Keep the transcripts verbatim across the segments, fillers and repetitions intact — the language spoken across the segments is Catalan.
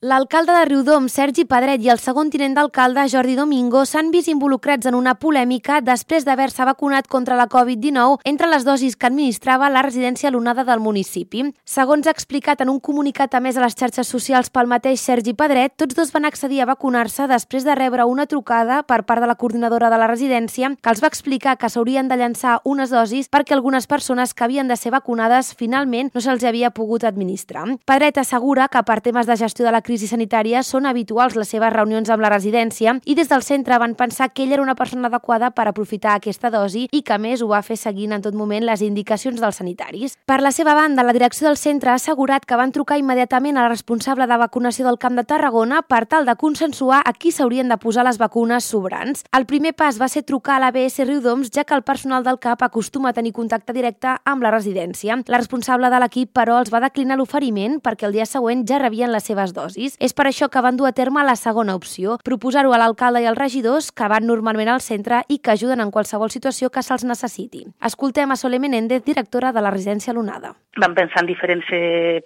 L'alcalde de Riudoms, Sergi Pedret, i el segon tinent d'alcalde, Jordi Domingo, s'han vist involucrats en una polèmica després d'haver-se vacunat contra la covid dinou entre les dosis que administrava la residència L'Onada del municipi. Segons ha explicat en un comunicat a més a les xarxes socials pel mateix Sergi Pedret, tots dos van accedir a vacunar-se després de rebre una trucada per part de la coordinadora de la residència que els va explicar que s'haurien de llançar unes dosis perquè algunes persones que havien de ser vacunades finalment no se'ls havia pogut administrar. Pedret assegura que per temes de gestió de la crisi sanitària són habituals les seves reunions amb la residència i des del centre van pensar que ell era una persona adequada per aprofitar aquesta dosi i que a més ho va fer seguint en tot moment les indicacions dels sanitaris. Per la seva banda, la direcció del centre ha assegurat que van trucar immediatament a la responsable de vacunació del Camp de Tarragona per tal de consensuar a qui s'haurien de posar les vacunes sobrants. El primer pas va ser trucar a l'A B S Riudoms, ja que el personal del C A P acostuma a tenir contacte directe amb la residència. La responsable de l'equip, però, els va declinar l'oferiment perquè el dia següent ja rebien les seves dosis. És per això que van dur a terme la segona opció, proposar-ho a l'alcalde i als regidors que van normalment al centre i que ajuden en qualsevol situació que se'ls necessiti. Escoltem a Sole Menéndez, directora de la residència L'Onada. Vam pensar en diferents eh,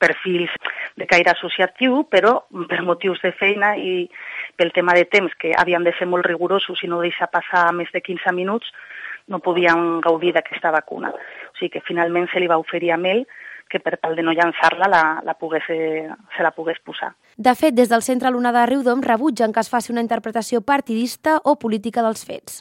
perfils de caire associatiu, però per motius de feina i pel tema de temps, que havien de ser molt rigorosos i no deixar passar més de quinze minuts, no podien gaudir d'aquesta vacuna. O sigui que finalment se li va oferir a ell que per tal de no llançar-la la, la pogués, se la pogués posar. De fet, des del centre L'Onada de Riudoms rebutgen que es faci una interpretació partidista o política dels fets.